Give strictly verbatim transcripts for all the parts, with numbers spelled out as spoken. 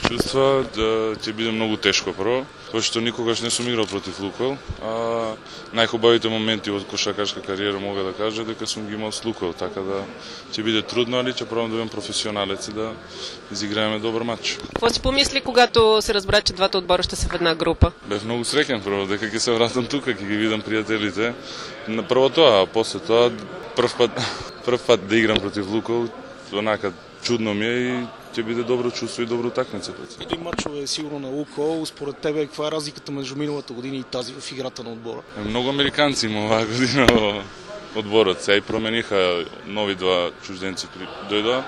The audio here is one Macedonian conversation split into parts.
чувства, да ќе биде многу тешко прво, тоа што никогаш не сум играл против Лукойл, а најхубавите моменти од кошакарска кариера мога да кажа дека сум ги имал с Лукойл, така да ќе биде трудно, али ќе пробам да бидам професионалец и да изиграеме добар матч. Какво си помисли когато се разбра, че двата одбора ще се в една група? Бев многу среќен прво дека ќе се вратам тука, ќе ги видам пријателите. На прво тоа, а после тоа прв пат прв пат да играм против Лукойл, онака чудно ми е и ќе биде добро чувство и добро утакмица. Три мачове сигурно на Лукойл, според тебе каква е разликата меѓу миналата година и тази в играта на одбора? Многу американци има оваа година во одборот, сега и промениха нови два чужденци дојдоа,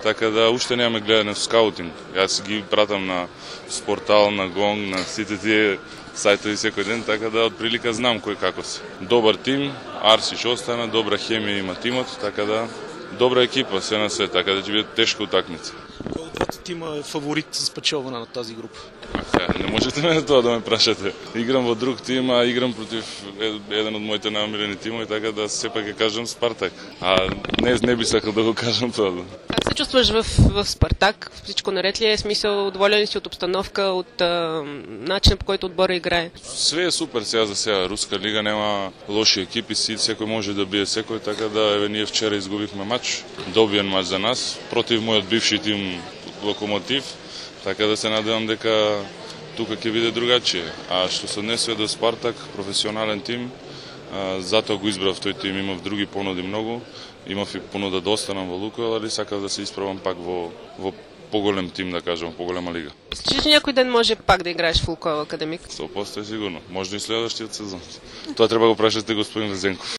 така да уште немаме гледане в скаутинг. Јас ги пратам на Спортал, на Гонг, на сите тие сајтови секој ден, така да од прилика знам кој како се. Добар тим, Арсич остана, добра хемија има тимот, така да добра екипа се на свет, така да ќе биде тешка утакмица. Кој од двата тима е фаворит за спечелване на тази група? Не можете мене тоа да ме прашате. Играм во друг тим, а играм против еден од моите најомилени тимови, така да сепак ќе кажам Спартак. А не, не би сакал да го кажам тоа. Как се чувстваш в, в Спартак? Всичко наред ли е? Смисъл, доволен ли си от обстановка, от а, начина по който отбора играе? Све е супер сега за сега. Руска лига нема лоши екипи, си секој може да бие секој, така да еве ние вчера изгубивме мач, добиен мач за нас против мојот бивши тим Локомотив, така да се надевам дека тука ќе биде другачие. А што се однесува до Спартак, професионален тим, а, затоа го избрав тој тим, имав други понуди многу, имав и понуда да останам во Лукойл, али сакав да се испробам пак во, во поголем тим, да кажам, поголема лига. Мислиш, че някой ден може пак да играеш в Лукойл Академик? сто проценти сигурно. Може и следващиот сезон. Тоа треба го прашате господин Резенков.